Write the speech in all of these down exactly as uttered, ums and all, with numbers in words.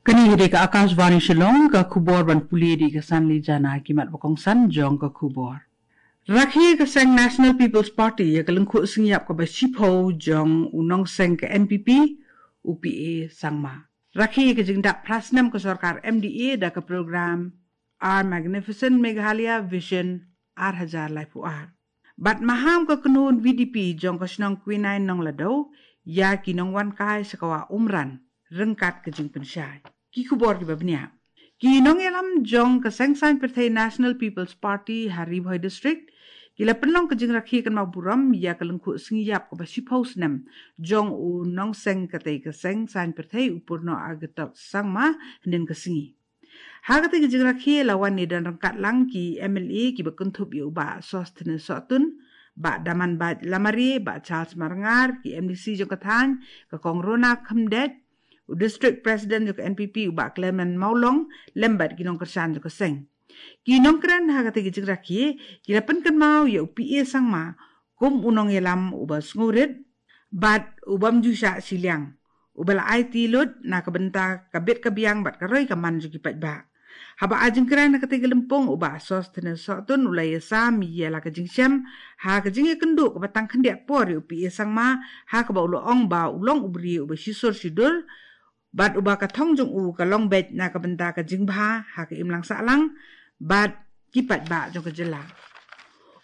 Kane ka dei ka Akashvani Shillong, ka khubor ban pule da ka Sanli Jana. Ki mat ba kongsan jong ka khubor. Rakhe ka seng National People's Party ïa ka lyngkhuh sngi ïap kaba shiphew jong u nongseng ka N P P, u P A Sangma. Rakhe ïa ka jingdap phra snem ka sorkar M D A da ka program Our Magnificent Meghalaya Vision ar hajar laiphew ar. Bad maham ka kynhun V D P jong ka shnong Kwinain Nongladaw ïa ki nongwan kai sha ka wah Umran ryngkat ka jingpynshai. Ki khubor kiba bniah. Ki nongïalam jong ka seng saiñ pyrthei National People's Party ha Ri Bhoi District ki la pynlong ka jingrakhe kynmaw burom ïa ka lyngkhuh sngi ïap kaba shiphew snem jong u nongseng katei ka seng saiñ pyrthei u Purno Agatok Sangma hynnin ka sngi. Ha katei ka jingrakhe la wan ïadon ryngkat lang ki M L A kiba kynthup ïa u Bah Sosthenes Sohtun, Bah Damanbait Lamare, Bah Charles Marngar, ki M D C jong ka thaiñ, ka Kong Rona Khymdeit, u District President jong ka N P P u Bah Clement Mawlong, lem bad ki nongkyrshan jong ka seng. Ki nongkren ha katei ka jingrakhe ki la pynkynmaw ïa u P A Sangma kum u nongïalam uba sngewrit bad ubym ju shah shiliang, uba la aiti lut na ka bynta ka bit ka biang bad ka roi ka man jong ki paidbah. Haba ai jingkren ha katei ka lympung u Bah Sosthenes Sohtun u la ïasam ïa la ka jingshem ha ka jingïakynduh kaba tang khyndiat por ïa u P A Sangma, ha kaba u la ong ba u long u briew uba shisur shidur bad uba ka thong jong u ka long beit na ka bynta ka jingbha ha ka imlang sahlang bad ki paidbah jong ka jylla.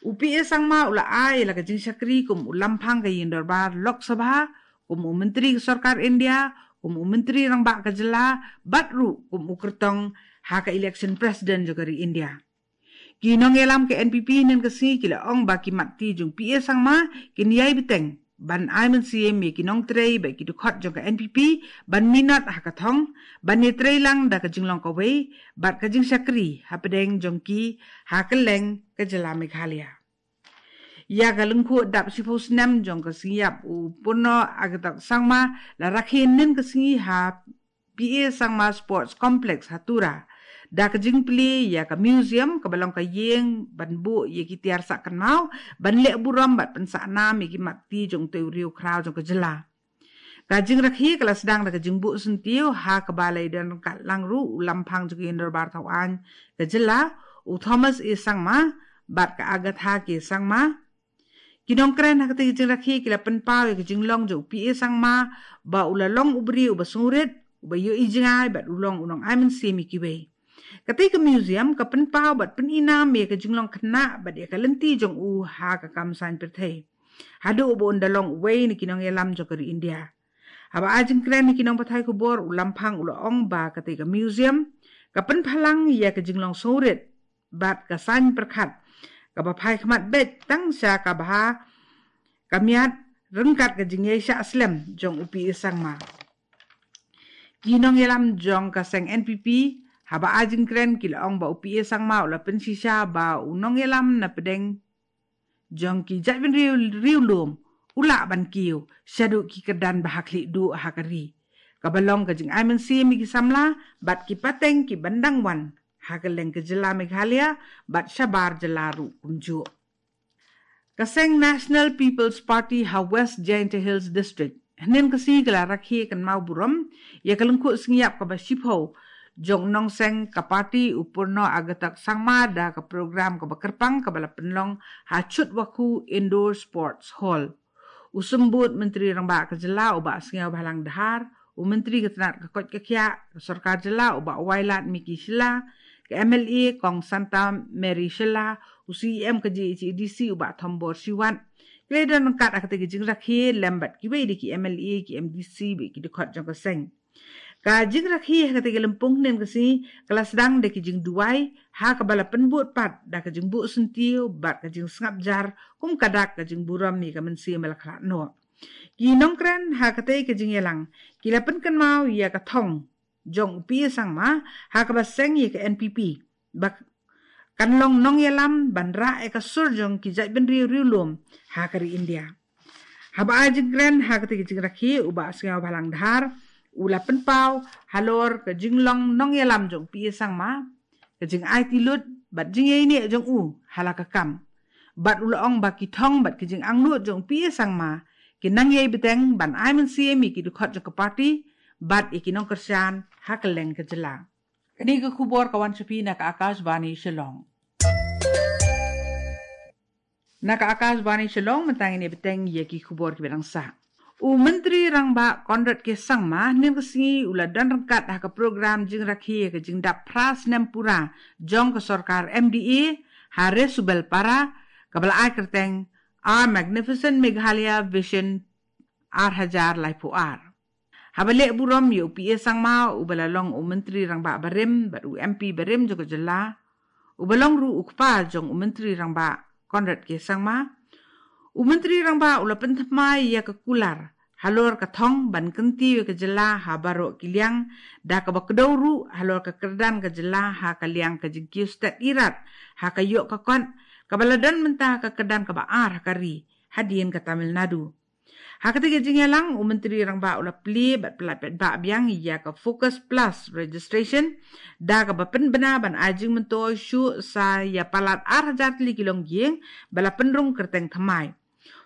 U P A Sangma u la ai la ka jingshakri kum u lamphang ka ïingdorbar Lok Sabha, kum u Myntri ka Sorkar India, kum u Myntri Rangbah ka jylla, bad ruh kum u kyrtong ha ka election president jong ka ri India. Ki nongïalam ka N P P hynnin ka sngi ki la ong ba ki mat ti jong P A Sangma kin ïai bteng ban ai mynsiem ïa ki nongtrei bad ki dkhot jong ka N P P ban minot ha ka thong, ban ïatrei lang da ka jinglong kawei bad ka jingshakri hapdeng jong ki ha kylleng ka jylla Meghalaya. Ïa ka lyngkhuh dap shiphew snem jong ka sngi ïap u Purno Agatok Sangma la rakhe hynnin ka sngi ha P A Sangma Sports Complex ha Tura da ka jingplie ïa ka museum kaba long ka ïing ban buh ïa ki tiar sah kynmaw, ban leh burom bad pynsah nam ïa ki mat ti jong utei u riew khraw jong ka jylla. Ka jingrakhe ka la sdang da ka jingbuh syntiew ha kaba la ïadon ryngkat lang ruh u lamphang jong ka ïingdorbar thawaiñ ka jylla u Thomas A Sangma bad ka Agatha K Sangma. Ki nongkren ha katei ka jingrakhe ki la pynpaw ïa ka jinglong jong u P A Sangma ba u la long u briew uba sngewrit, uba ïohi jngai bad u long u nongai mynsiem ïa kiwei. Katei ka museum ka pynpaw bad pyni nam ïa ka jinglong khynnah bad ïa ka lynti jong u ha ka kam saiñ pyrthei, haduh ba un da long uwei na ki nongïalam jong ka ri India. Haba ai jingkren ïa ki nongpathai khubor u lamphang u la ong ba katei ka museum ka pynpaw lang ïa ka jinglong sngewrit bad ka saiñ pyrkhat kaba phai khmat beit tang sha kaba ha ka miat ryngkat ka jingïaishah slem jong u P A Sangma. Ki nongïalam jong ka seng N P P haba ai jingkren ki la ong ba u P A Sangma u la pynshisha ba u nongïalam na pdeng jong ki jaitbynriew riewlum u lah ban kiew shaduh ki kyrdan ba ha khlieh duh ha ka ri, kaba long ka jingai mynsiem ïa ki samla bad ki pateng kiban dang wan ha kylleng ka jylla Meghalaya bad shabar jylla ruh kumjuh. Ka seng National People's Party ha West Jaintia Hills District hynnin ka sngi ka la rakhe kynmaw burom ïa ka lyngkhuh sngi ïap kaba shiphew jong u nongseng ka party u Purno Agatok Sangma da ka program kaba kyrpang kaba la pynlong ha Chutwakhu Indoor Sports Hall. U Symbud Myntri Rangbah ka jylla u Bah Sniawbhalang Dhar, u Myntri ka tnat ka koit ka khiah ka sorkar jylla u Bah Wailadmiki Shylla, ka M L A Kong Santa Mary Shylla, u C E M ka J H A D C u Bah Thombor Shiwat, ki la ïadon ryngkat ha katei ka jingrakhe lem bad kiwei de ki M L A, ki M D C bad ki dkhot jong ka seng. Ka jingrakhe ha katei ka lympung hynnin ka sngi ka la sdang da ki jingduwai ha kaba la pynbud pat da ka jingbuh syntiew bad ka jingsngap jar kum ka dak ka jingburom ïa ka mynsiem ba la khlad noh. Ki nongkren ha katei ka jingïalang ki la pynkynmaw ïa ka thong jong u P A Sangma ha kaba seng ïa ka N P P ba kan long nongïalam ban rah ïa ka sur jong ki jaitbynriew riewlum ha ka ri India. Haba ai jingkren ha katei ka jingrakhe u Bah Sniawbhalang Dhar u la pynpaw halor ka jinglong nongïalam jong u P A Sangma, ka jingaiti lut bad jingïaineh jong u ha la ka kam. Bad u la ong ba ki thong bad ki jingangnud jong u P A Sangma ki nang ïai bteng ban ai mynsiem ïa ki dkhot jong ka party bad ïa ki nongkyrshan ha kylleng ka jylla. Kane ka khubor ka wan sha phi na ka Akashvani Shillong. Na ka Akashvani Shillong mynta ngin ïa bteng ïa ki khubor kiba dang sah. U Myntri Rangbah Conrad K Sangma hynnin ka sngi u la don ryngkat ha ka program jingrakhe ka jingdap phra snem pura jong ka sorkar M D A ha Resubelpara, kaba la ai kyrteng Our Magnificent Meghalaya Vision ar hajar laiphew ar. Haba leh burom ïa u P A Sangma uba la long u Myntri Rangbah barim bad u M P barim jong ka jylla, uba long ruh u kpa jong u Myntri Rangbah Conrad K Sangma, u Myntri Rangbah u la pynthymmai ïa ka kular halor ka thong ban kyntiew ïa ka jylla ha baroh ki liang, da kaba kdew ruh halor ka kyrdan ka jylla ha ka liang ka jingkiew stet irat ha ka ïoh ka kot, kaba la don mynta ka kyrdan kaba ar ha ka ri hadien ka Tamil Nadu. Ha katei ka jingïalang, u Myntri Rangbah u la plie bad pyllait paidbah biang ïa ka Focus Plus registration, da kaba pynbna ban ai jingmyntoi shuh sa ïa palat ar hajar tylli ki longïing ba la pynrung kyrteng thymmai.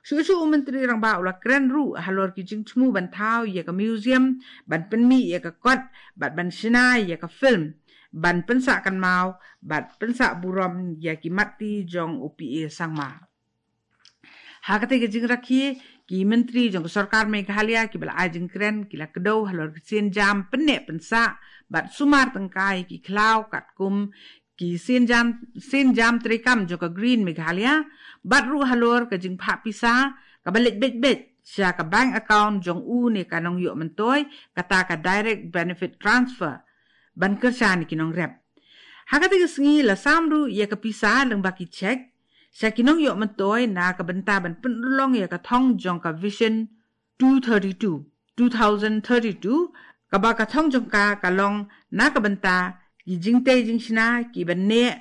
Shuh shuh u Myntri Rangbah u la kren ruh halor ki jingthmu ban thaw ïa ka museum, ban pynmih ïa ka kot, bad ban shna ïa ka film, ban pynsah kynmaw bad pynsah burom ïa ki mat ti jong u P A Sangma. Ha katei ka jingrakhe, ki myntri jong ka sorkar Meghalaya kiba la ai jingkren ki la kdew halor ki sienjam pynneh pynsah bad sumar tyngkai ki khlaw katkum ki sienjam, sienjam treikam jong ka Green Meghalaya, bad ruh halor ka jingphah pisa kaba leit beit beit sha ka bank account jong u ne ka nongïoh myntoi, kata ka direct benefit transfer, ban kyrshan ïa ki nongrep. Ha katei ka sngi la sam ruh ïa ka pisa lyngba ki cheque sha ki nongïoh myntoi na ka bynta ban pynurlong ïa ka thong jong ka Vision two thirty-two, two thousand thirty-two, kaba ka thong jong ka ka long na ka bynta ki jingtei jingshna kiba neh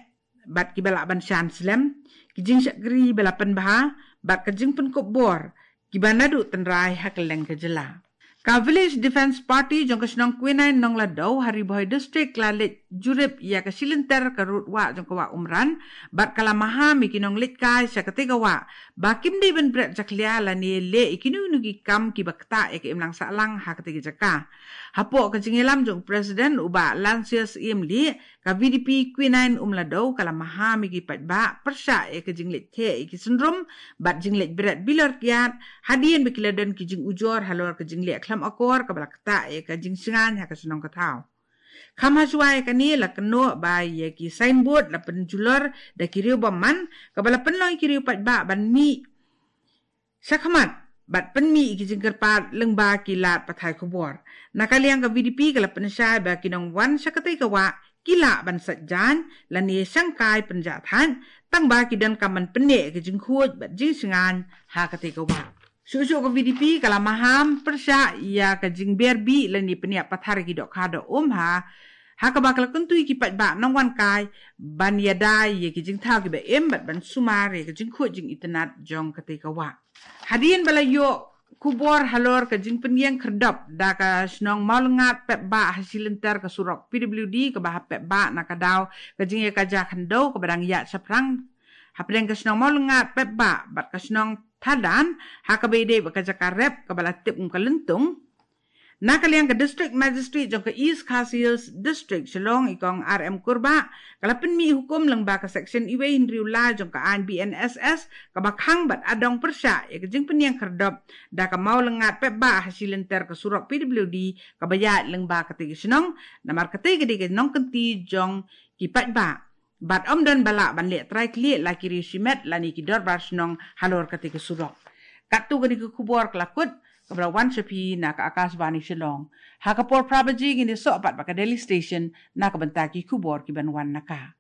bad kiba lah ban shan slem, ki jingshakri ba la pynbha, bad ka jingpynkup bor kiba naduh tynrai ha kylleng ka jylla. Ka Village Defence Party jong ka shnong Quinine Nonglado ha Ri Bhoi District la leit jurip ïa ka shilynter ka rud wah jong ka wah Umran, bad ka la maham ïa ki nongleit kai sha katei ka wah ba kim dei ban bret jakhlia lane leh ïa kino kino ki kam kiba ktah ïa ka imlang sahlang ha katei ka jaka. Hapoh ka jingïalam jong u President u Bah Lancius Ïamlieh, ka V D P Quinine Umlado ka la maham ïa ki paidbah pyrshah ïa ka jingleit theh ïa ki syndrum bad jingleit bret bilor kiad, hadien ba ki la don ki jingujor halor ka jingleh khlem akor kaba la ktah ïa ka jingshngain ha ka shnong ka thaw. Kham hashwa ïa kane la kynnoh ba ïa ki signboard la pynjulor da ki riew bymman, kaba la pynlong ïa ki riew paidbah ban mih shakhmat bad pynmih ïa ki jingkyrpad lyngba ki lad pathai khubor. Na ka liang ka V D P ka la pynshai ba ki nongwan sha katei ka wah ki lah ban sait jaiñ lane shangkai pynjah thait, tangba ki donkam ban pynneh ïa ki jingkhuid bad jingshngaiñ ha katei ka wah. Shuh shuh ka V D P ka la maham pyrshah ïa ka jingber bih lane pynïap pathar ïa ki dohkha doh um ha, ha kaba ka la kyntu ïa ki paidbah nongwan kai ban ïada ïa ki jingthaw kiba im bad ban sumar ïa ka jingkhuid jingitynnad jong katei ka wah. Hadien ba la ïoh khubor halor ka jingpynïeng khyrdop da ka shnong Mawlyngad Pepbah ha shilynter ka surok P W D kaba ha Pepbah na ka daw ka jingïakajia khyndew kaba dang ïaid shaphrang hapdeng ka shnong Mawlyngad Pepbah bad ka shnong Thadan ha kaba ïadei bad ka jaka rep kaba la tip kum ka Lyntung. Na ka liang ka District Magistrate jong ka East Khasi Hills District Shillong, i Kong R M Kurbah, ka la pynmih hukum lyngba ka Section uwei hynriew lai jong ka aiñ B N S S kaba khang bad adong pyrshah ïa ka jingpynïeng khyrdop da ka Mawlyngad Pepbah ha shilynter ka surok P W D kaba ïaid lyngba katei ka shnong, namar katei ka dei ka nongkynti jong ki paidbah. Bad ym don ba lah ban leh trai khlieh la ki riew shimet lane ki dorbar shnong halor katei ka surok. Katto katne ka khubor ka la kut kaba la wan sha phi na ka Akashvani Shillong. Ha ka por phra baje ngin ïasoh pat bad ka Delhi Station na ka bynta ki khubor kiban wan na ka.